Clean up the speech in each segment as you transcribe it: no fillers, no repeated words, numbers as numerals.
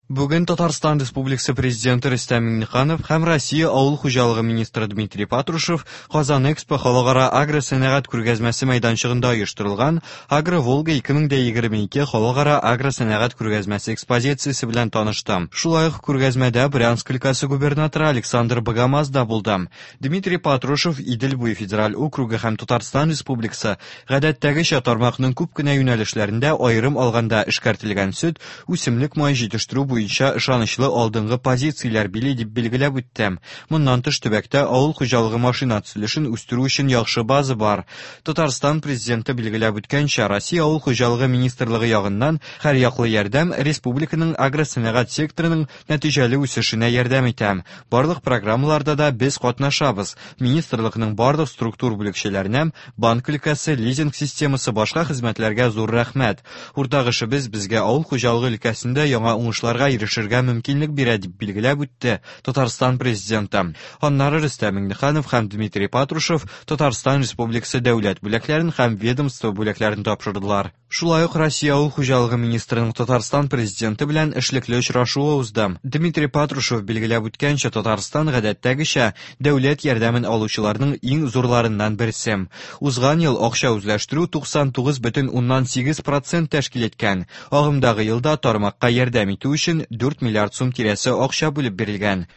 Бүген Татарстан Республикасы Президенты Рөстәм Миңнеханов һәм Россия Авыл хуҗалыгы министры Дмитрий Патрушев Казан Экспо халыкара агросәнәгать күргәзмәсе мәйданчыгында оештырылган Агро-Волга 2022 халыкара агросәнәгать күргәзмәсе экспозициясе белән танышты. Шулай ук күргәзмәдә Брянск өлкәсе губернаторы Александр Богомаз да булды. Дмитрий Патрушев Идел буе федераль округы һәм Татарстан Республикасы гадәттәгечә тармакның күп кенә юнәлешләрендә, аерым алганда эшкәртелгән сөт, үсемлек мае җитештерү буенча ышанычлы алдынгы позицияләр били, дип билгеләп үтте. Моннан тыш, төбәктә авыл хуҗалыгы машина төзелешен үстерү өчен яхшы база бар. Татарстан Президенты билгеләп үткәнчә, Россия Авыл хуҗалыгы министрлыгы ягыннан һәрьяклы ярдәм республиканың агросәнәгать секторының нәтиҗәле үсешенә ярдәм итә. Барлык программаларда да без катнашабыз. Министрлыкның барлык структур бүлекчәләренә, банк өлкәсе, лизинг системасы, башка хезмәтләргә зур рәхмәт. Уртак эшебез безгә авыл хуҗалыгы өлкәсендә яңа уңышларга ирешергә мөмкинлек бирә, дип билгеләп үтте Татарстан Президенты. Аннары Рөстәм Миңнеханов һәм Дмитрий Патрушев Татарстан Республикасы дәүләт бүләкләрен һәм ведомство бүләкләрен тапшырдылар. Шулай ук Россия Авыл хуҗалыгы министрының Татарстан Президенты белән эшлекле очрашуы узды. Дмитрий Патрушев билгеләп үткәнчә, Татарстан, гадәттәгечә, дәүләт ярдәмен алучыларның иң зурларыннан берсе. Узган ел акча үзләштерү 99,8 процент тәшкил иткән. Агымдагы елда тармакка ярдәм итү өчен 4 миллиард сум тирәсе акча бүлеп бирелгән.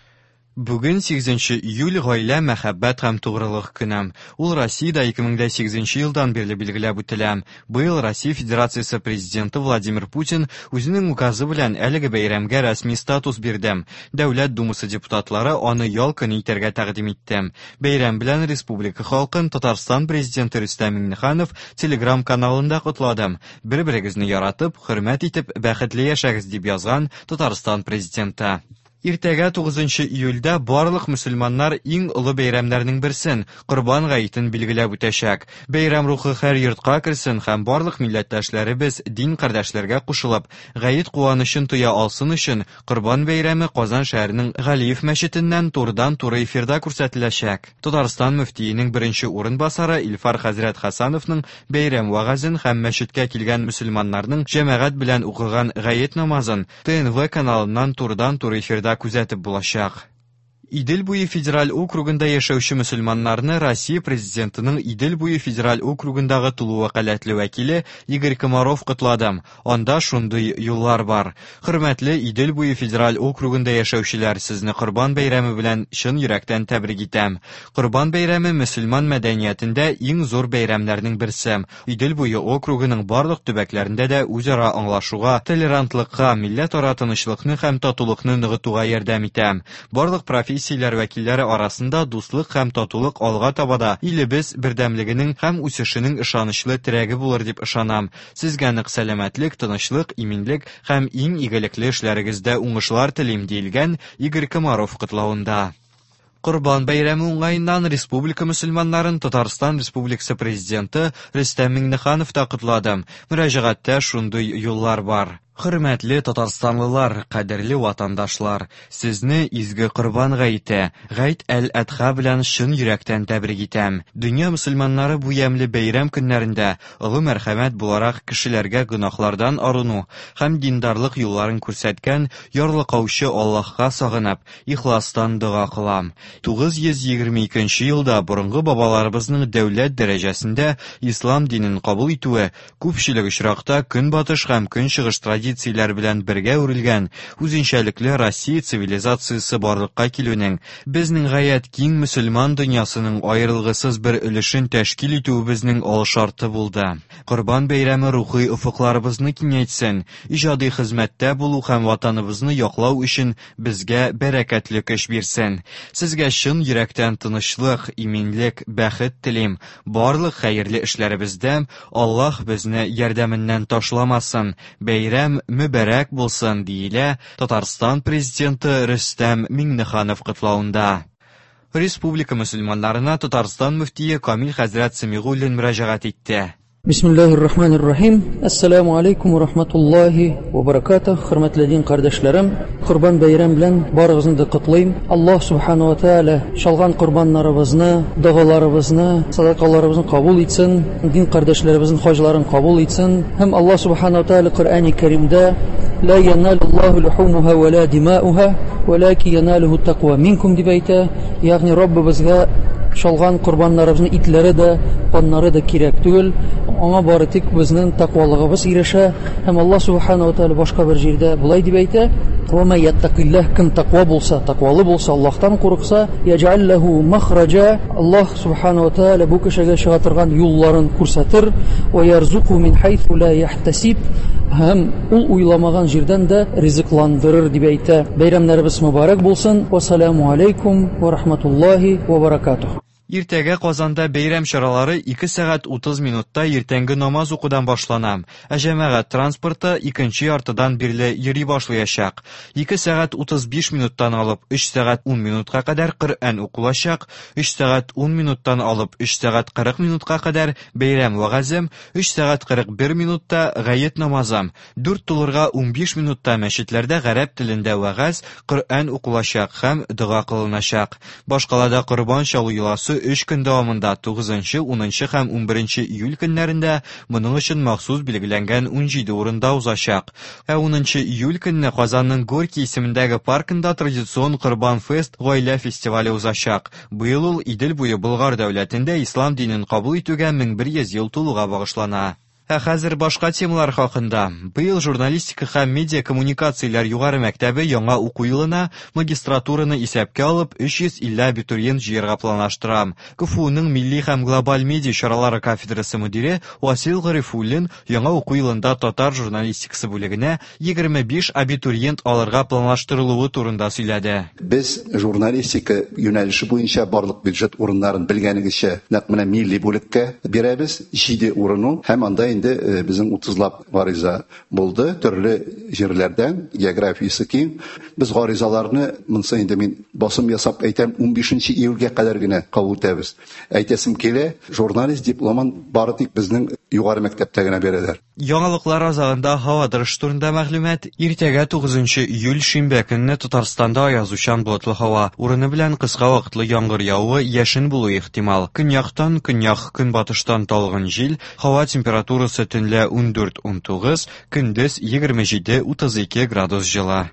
Бүген, 8 июль, Гаилә, мәхәббәт һәм тугрылык көне. Ул Россиядә 2008 елдан бирле билгеләп үтелә. Быел Россия Федерациясе Президенты Владимир Путин үзенең указы белән әлеге бәйрәмгә рәсми статус бирде. Дәүләт Думасы депутатлары аны ял көне итәргә тәкъдим итте. Бәйрәм белән республика халкын Татарстан Президенты Рөстәм Миңнеханов Телеграм-каналында котлады. Бер-берегезне яратып, хөрмәт итеп, бәхетле яшәгез, дип язган Татарстан Президенты. Иртәгә, 9 июльдә, барлык мөселманнар иң олы бәйрәмнәрнең берсен, Корбан гаетен билгеләп үтәчәк. Бәйрәм рухы һәр йортка керсен һәм барлык милләттәшләребез дин кардәшләргә кушылып, гает куанычын тоя алсын өчен, Корбан бәйрәме Казан шәһәренең Галиев мәчетеннән турыдан-туры эфирда күрсәтеләчәк. Татарстан мөфтиенең беренче урынбасары Илфар хәзрәт Хәсәновның бәйрәм вәгазен һәм мәчеткә килгән мөселманнарның җәмәгать белән укыган гает намазын ТНВ каналыннан турыдан-туры эфирда күзәтеп булачак. Идел буе федераль округында яшәүче мөселманнарны Россия Президентының Идел буе федераль округындагы тулы вәкаләтле вәкиле Игорь Комаров котлады. Анда шундый юллар бар. Хөрмәтле Идел буе федераль округында яшәүчеләр, сезне Корбан бәйрәме белән чын йөрәктән тәбрик итәм. Корбан бәйрәме мөселман мәдәниятендә иң зур бәйрәмнәрнең берсе. Идел буе округының барлык төбәкләрендә дә үзара аңлашуга, толерантлыкка, милләтара тынычлыкны һәм татулыкны ныгытуга ярдәм итә. Барлык профессияләр вәкилләре арасында дуслык һәм татулык алга таба да илебез бердәмлегенең һәм үсешенең ышанычлы терәге булыр дип ышанам. Сезгә нык сәламәтлек, тынычлык, иминлек һәм иң игелекле эшләрегездә уңышлар телим, диелгән Игорь Комаров котлавында. Корбан бәйрәме уңаеннан республика мөселманнарын Татарстан Республикасы Президенты Рөстәм Миңнеханов та котлады. Мөрәҗәгатьтә шундый юллар бар. Хөрмәтле татарстанлылар, кадерле ватандашлар, сезне изге Корбан гаете, Гайд әл-Әдха белән чын йөрәктән тәбрик итәм. Дөнья мөселманнары бу ямьле бәйрәм көннәрендә олы мәрхәмәт буларак кешеләргә гөнаһлардан арыну һәм диндарлык юлларын күрсәткән ярлыкаучы Аллаһка сагынып, ихластан дога кылам. 922 нче елда борынгы бабаларыбызның дәүләт дәрәҗәсендә ислам динен кабул итүе күпчелек очракта Көнбатыш һәм Көнчыгыш традицияләре белән бергә үрелгән үзенчәлекле Россия цивилизациясе барлыкка килүнең, безнең гаять киң мөселман дөньясының аерылгысыз бер өлешен тәшкил итүебезнең алшарты булды. Корбан бәйрәме рухи офыкларыбызны киңәйтсен, иҗади хезмәттә булу һәм Ватаныбызны яклау өчен безгә бәрәкәтле көч бирсен. Сезгә чын йөрәктән тынычлык, иминлек, бәхет телим. Барлык хәерле эшләребездә Аллаһ безне ярдәменнән ташламасын. Бәйрәм мөбарәк булсын, диелә Татарстан Президенты Рөстәм Миңнеханов котлавында. Республика мөселманнарына Татарстан мөфтие Камил хәзрәт Сәмигуллин мөрәҗәгать итте. Бисмиллахир рахманир рахим. Ассаламу алейкум ва рахматуллахи ва баракатух. Хөрмәтле дин кардәшләрем, Корбан бәйрәм белән барыгызны да котлыйм. Аллаһ субхану ва тааля чалган корбаннарыбызны, догаларыбызны, садакаларыбызны кабул итсен, дин кардәшләребезнең хаҗларын кабул итсен. Һәм Аллаһ субхану ва тааля Коръәни Кәримдә Ла яналуллаһу лухумуха ва ла димауха, валаки яналуху тaqва минкум дип әйтә. Ягъни Раббыбызга чалган корбаннарыбызның итләре дә, каннары да кирәк түгел. Аңа бары тик безнең тәкъвалыгыбыз ирешә. Һәм Аллаһ субхана ва тааля башка бер җирдә болай дип әйтә: "Ва ма яттакиллаһ", кем тәкъва булса, тәкъвалы булса, Аллаһтан курыкса, яҗәл ләһу махраҗа, Аллаһ субхана ва тааля бу кешегә чыга торган юлларын күрсәтер, ва ярзуку мин хайсу ла яхтасиб, һәм ул уйламаган җирдән дә ризыкландырыр дип әйтә. Бәйрәмнәребез мөбарәк булсын. Вассаламу алейкум ва рахматуллаһи ва баракатуһ. Иртәгә Казанда бәйрәм чаралары 2 сәгать 30 минутта иртәнге намаз укудан башлана, ә җәмәгать транспорты икенче яртыдан бирле йөри башлаячак. 2 сәгать 35 минуттан алып 3 сәгать 10 минутка кадәр Коръән укылачак, 3 сәгать 10 минуттан алып 3 сәгать 40 минутка кадәр бәйрәм вәгазе, 3 сәгать 41 минутта гает намазы, 4 тулырга 15 минутта мәчетләрдә гарәп телендә вәгазь, Коръән укылачак һәм дога кылыначак. Башкалада корбан чалу йоласы 3 көн дәвамында 9, 10 һәм 11 июль көннәрендә моның өчен махсус билгеләнгән 17 урында узачак. Ә 10 июль көнне Казанның Горький исемендәге паркында традицион Корбан фест гаилә фестивале узачак. Быел ул Идел буе Болгар дәүләтендә ислам динен кабул итүгә 1100 ел тулуга багышлана. Ә хәзер башка темалар хакында. Быел журналистика һәм медиа коммуникацияләр югары мәктәбе яңа уку елына магистратураны исәпкә алып 350 абитуриент җыярга планлаштыра. КФУның милли һәм глобаль медиа чаралары кафедрасы мөдире Васил Гарифуллин яңа уку елында татар журналистикасы бүлегенә 25 абитуриент алырга планлаштырылуы турында сөйләде. Без журналистика юнәлеше буенча барлык бюджет урыннарын белгәнегезчә нәкъ менә милли бүлеккә бирәбез, 7 урын ул, һәм анда инде безнең 30лап гариза булды төрле җирләрдән, географиясе киң. Без гаризаларны, монысы инде мин басым ясап әйтәм, 15 июльгә кадәр генә кабул итәбез. Әйтәсем килә, журналист дипломын бары тик безнең югары мәктәптә генә бирәләр. Яңалыклар азагында һава торышы турында мәгълүмат. Иртәгә 9 июль шимбә көнне Татарстанда аязучан болытлы һава, урыны белән кыска вакытлы яңгыр явуы, яшен булуы ихтимал. Көньяктан, көньяк көнбатыштан талгын җил, һава температурасы төнлә 14-19, көндез 27-32 градус җылы.